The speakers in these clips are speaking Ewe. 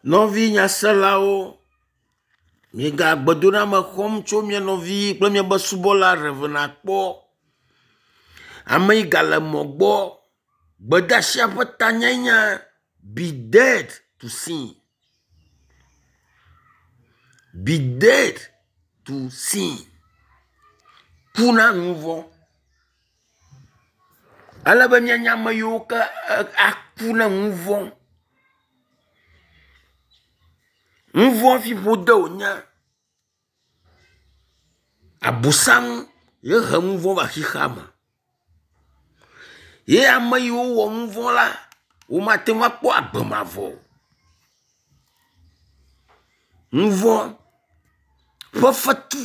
Nɔvi nyaselawo, miega gbedoname xɔm tso mia nɔvi kple miabe subɔla Rev. Akpɔ. Ame yi gale mɔ gbɔ. Gbedeasia ƒe tanyae nye be dead to sin. Be dead to sin. Ku na nu vɔ̃. Ele be míanye ame yiwo ke aku na nu vɔ̃. Nu vɔ̃ fiƒode wònye. Abosam ye he nu vɔ̃ va xexea me. Ye ame yiwo wɔ nu vɔ̃ la, womate ŋu akpɔ agbe mavɔ o. Nu vɔ̃ ƒe fetu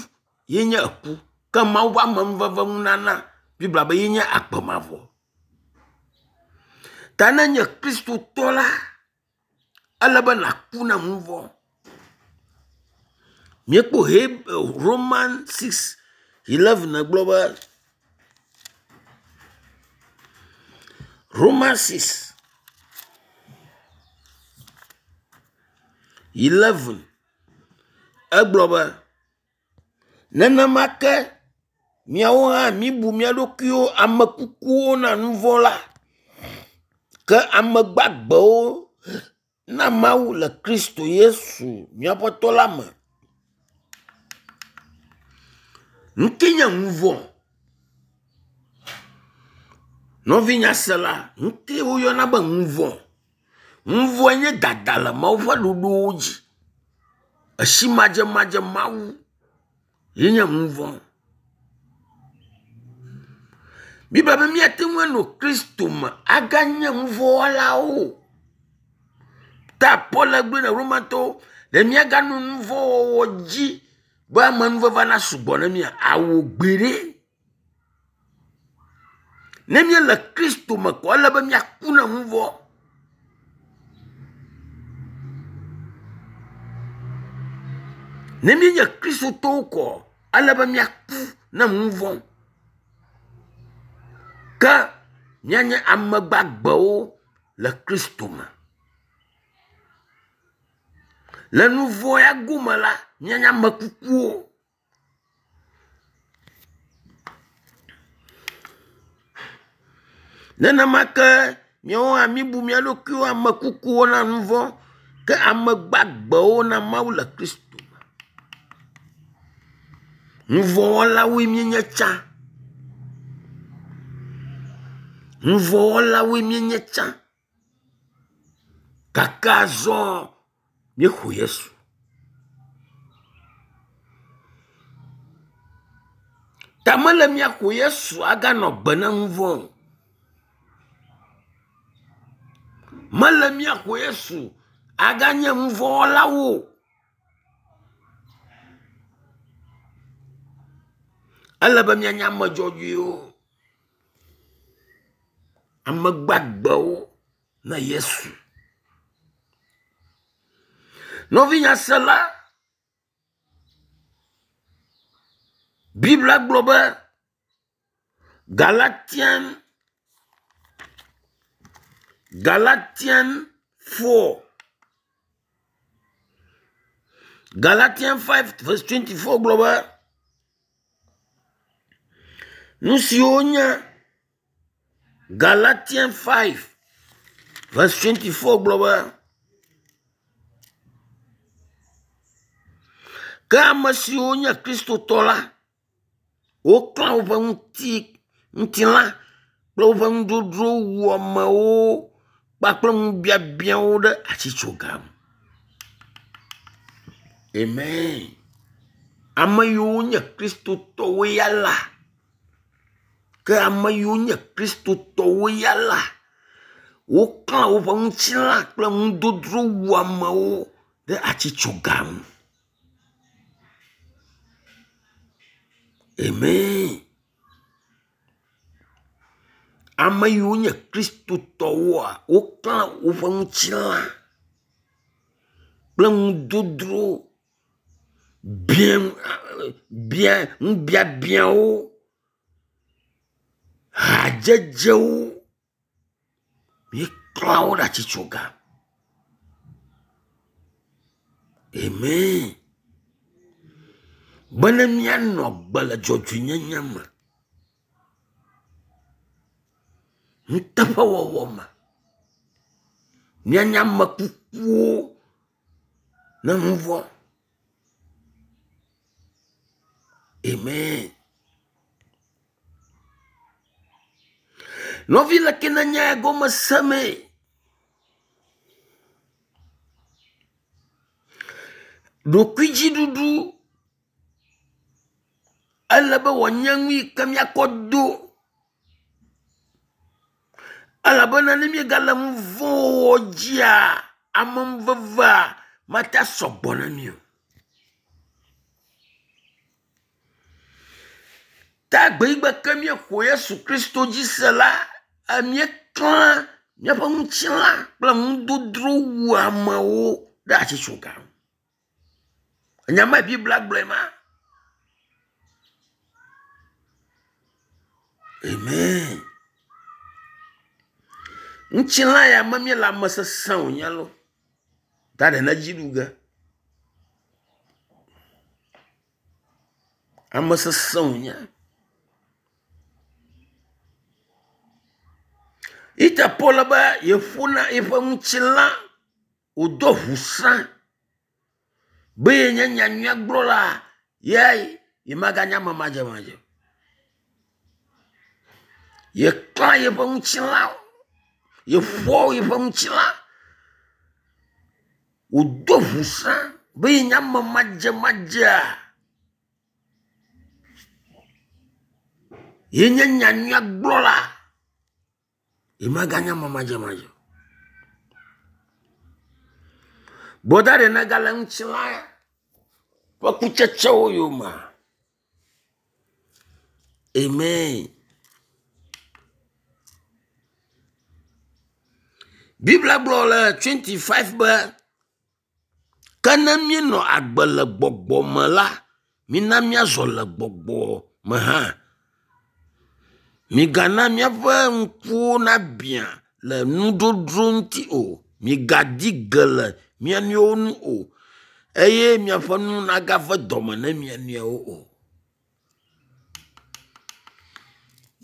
ye nye eku ke Mawu ƒe amenuveve nunana Biblia be ye nye agbe mavɔ. Ta ne enye kristotɔ la, ele be nàku na nu vɔ̃. Míekpɔ Heb Roman 6 11 gblɔ be Roman 6 11 egblɔ be nenema ke miawo hã mibu mia ɖokuiwo ame kukuwo na nu vɔ̃ la ke ame gbagbewo na Mawu le Kristo Yesu mía Aƒetɔ la me. Nu ke nye nu vɔ̃? Nɔvi nyasela, nu ke woyɔna be nu vɔ̃? Nu vɔ̃e nye dada le Mawu ƒe ɖoɖowo dzi. Esi madzemadze Mawu ye nye nu vɔ̃. Biblia be míate ŋu anɔ Kristo me aganye nu vɔ̃ wɔlawo o. Ta Paul gblɔe na Romatɔwo ɖe míaganɔ nu vɔ̃ wɔwɔ dzi be amenuveve nasugbɔ na mía? Awo gbeɖe. Ne míele Kristo me ko ele be míaku na nu vɔ̃. Ne míenye Kristotɔwo koa, ele be míaku na nu vɔ̃. Ke míanye ame gbagbewo le Kristo me. Le nu vɔ̃ ya gome la, míanye ame kukuwo. Nenema ke míawo hã míbu mía ɖokuiwo ame kukuwo na nu vɔ̃ ke ame gbagbewo na Mawu le Kristo me. Nu vɔ̃ wɔlawoe míenye tsã. Nu vɔ̃ wɔlawoe míenye tsã. Gake azɔ míexɔ Yesu. Ta mele míaxɔ Yesu aganɔ gbe na nu vɔ̃ o. Mele míaxɔ Yesu aganye nu vɔ̃ wɔlawo o. Ele be míanye ame dzɔdzɔewo, ame gbagbewo na Yesu. Nɔvi nyasela, Biblia gblɔ be Galatian Galatian 4 Galatian 5 verse 24 gblɔ be nu siwo nye Galatian 5 verse 24 gblɔ be ke ame siwo nye kristotɔ la woklã woƒe ŋuti ŋutilã kple woƒe nudzodzro wuamewo kpakple ŋubiabiãwo ɖe atitsoga ŋu. Amen. Ame yiwo nye kristotɔwo ya la, ke ame yiwo nye kristotɔwo ya la, woklã woƒe ŋutilã kple nudzodzro wuamewo ɖe atitsoga ŋu. Amen. Ame yiwo nye kristotɔwoa, woklã woƒe ŋutilã kple nudodro bia bia ŋubiabiawo, hadzedzewo. Míeklã wo ɖe atitsoga. Amen. Bene míanɔ agbe le dzɔdzɔenyenye me, nuteƒewɔwɔ me. Míanye ame kukuwo ne nu vɔ̃. Amen. Nɔvi leke nenye egɔme semee. Ɖokuidziɖuɖu ele be wòanye nu yi ke míakɔ do elabena ne míegale nu vɔ̃ wɔwɔ dzia, amenuvevea mate sɔgbɔ na mí o. Ta gbeyigbe ke míexɔ Yesu Kristo dzi se la, míeklã míaƒe ŋutilã kple nudodro wuamewo ɖe atitsoga ŋu. Enya mae Biblia gblɔe ma. Amen. Ŋutilã ya me míele ame sesẽ wònye lo. Ta ɖe ne dzi ɖu ge. Ame sesẽ wònye. Ite Paul be yeƒona yeƒe ŋutilã wòdo ŋusẽ be yenye nyanyuiagblɔla ye yemaganye ame madzemadze o. Yeklã yeƒe ŋutilã, yeƒo yeƒe ŋutilã wòdo ŋusẽ be yenye ame madzemadzea. Yenye nyanyuiagblɔla. Yemaganye ame madzemadze o. Gbɔda ɖe nègale ŋutilã ƒe kutsetsewo yomea? Amen. Biblia gblɔ le 25 be ke ne míenɔ agbe le gbɔgbɔ me la, mina míazɔ le gbɔgbɔ me hã. Migana míaƒe ŋkuwo nabiã le nuɖoɖo ŋuti o. Migadi ge le mia nɔewo ŋu o eye miaƒe nu nagave dɔme na mia nɔewo o.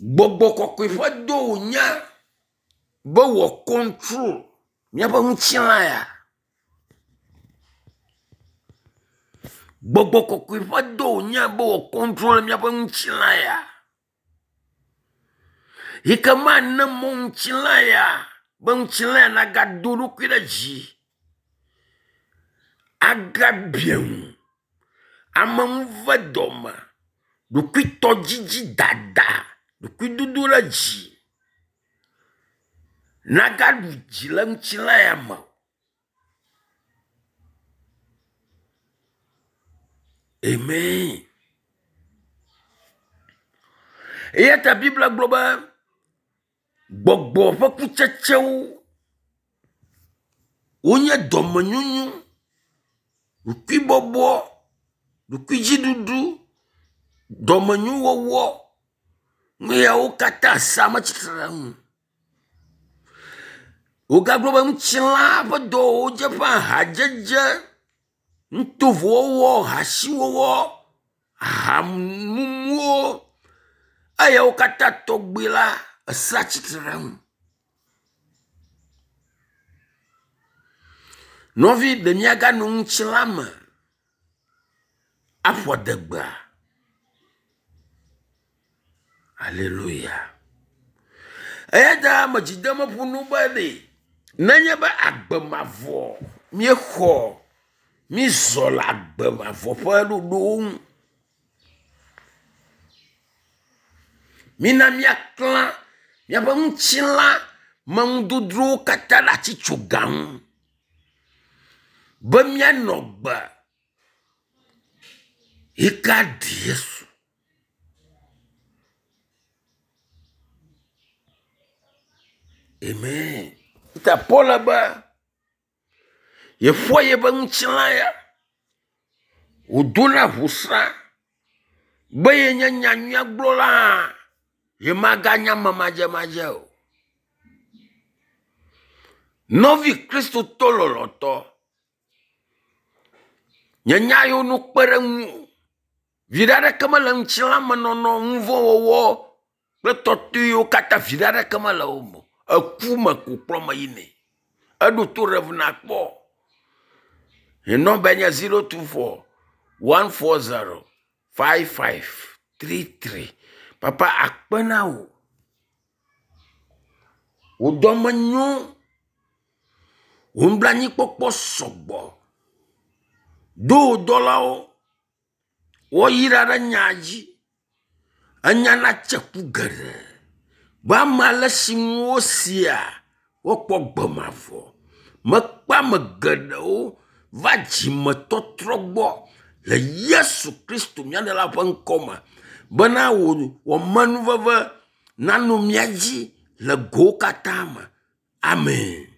Gbɔgbɔ kɔkɔe ƒe dɔ wònye be wɔ kɔntrol míaƒe ŋutilã ya. Gbɔgbɔ kɔkɔe ƒe dɔ wònye be wɔ kɔntrol míaƒe ŋutilã ya. Yi ke mane mɔ ŋutilã ya be ŋutilã ya nagado eɖokui ɖe dzi agabia ŋu ame ŋu ve dɔme, ɖokuitɔdzidzi dada, ɖokuidodo ɖe dzi nagaɖu dzi le ŋutilã ya me o. Amen. Eya ta Biblia gblɔ be gbɔgbɔ ƒe kutsetsewo wonye dɔmenyonyo, ɖokuibɔbɔ, ɖokuidziɖuɖu, dɔmenyowɔwɔ. Nu yawo katã sea metsitre ɖe eŋu. Wogagblɔ be ŋutilã ƒe dɔwɔwɔwo dze ƒã hadzedze, nutovowɔwɔ, hasiwɔwɔ, ahamumuwo eyawo katã tɔgbi la esea tsitre ɖe eŋu. Nɔvi ɖe míaganɔ ŋutilã me aƒo adegbea? Aleluya. Eya ta ame dzidemeƒo nu be ɖe nenye be agbe mavɔ míexɔ mízɔ le agbe mavɔ ƒe ɖoɖowo ŋu. Mina míaklã míaƒe ŋutilã me nudodrowo katã ɖe atitsoga ŋu be míanɔ gbe yi ke aɖi Yesu. Amen. Ta Paul be yeƒoa yeƒe ŋutilã ya wòdona ʋusrã be yenye nyanyuiagblɔla hã yemaganye ame madzemadze o. Nɔvi Kristotɔ lɔlɔ̃tɔ, Nye nya yiwo no kpe ɖe ŋuwò. Viɖe aɖeke mele ŋutilãmenɔnɔ, nuvɔ̃wɔwɔ kple tɔtɔewo katã viɖe aɖeke mele wo me o. Eku me ko kplɔ me yinɛ. Eɖo to Rev. Nakpɔ. Nye nɔmbae nye 024 140 5533. Papa akpe na wò. Wò dɔme nyo. Wò nublanuikpɔkpɔ sɔgbɔ. Do wò dɔlawo woayra ɖe nya dzi. Enya natse ku geɖe be ame ale si nu wosia woakpɔ gbe mavɔ. Mekpe ame geɖewo va dzimetɔtrɔ gbɔ le Yesu Kristo mía Ɖela ƒe ŋkɔ me bena wò amenuveve nanɔ mía dzi le gowo katã me. Amen.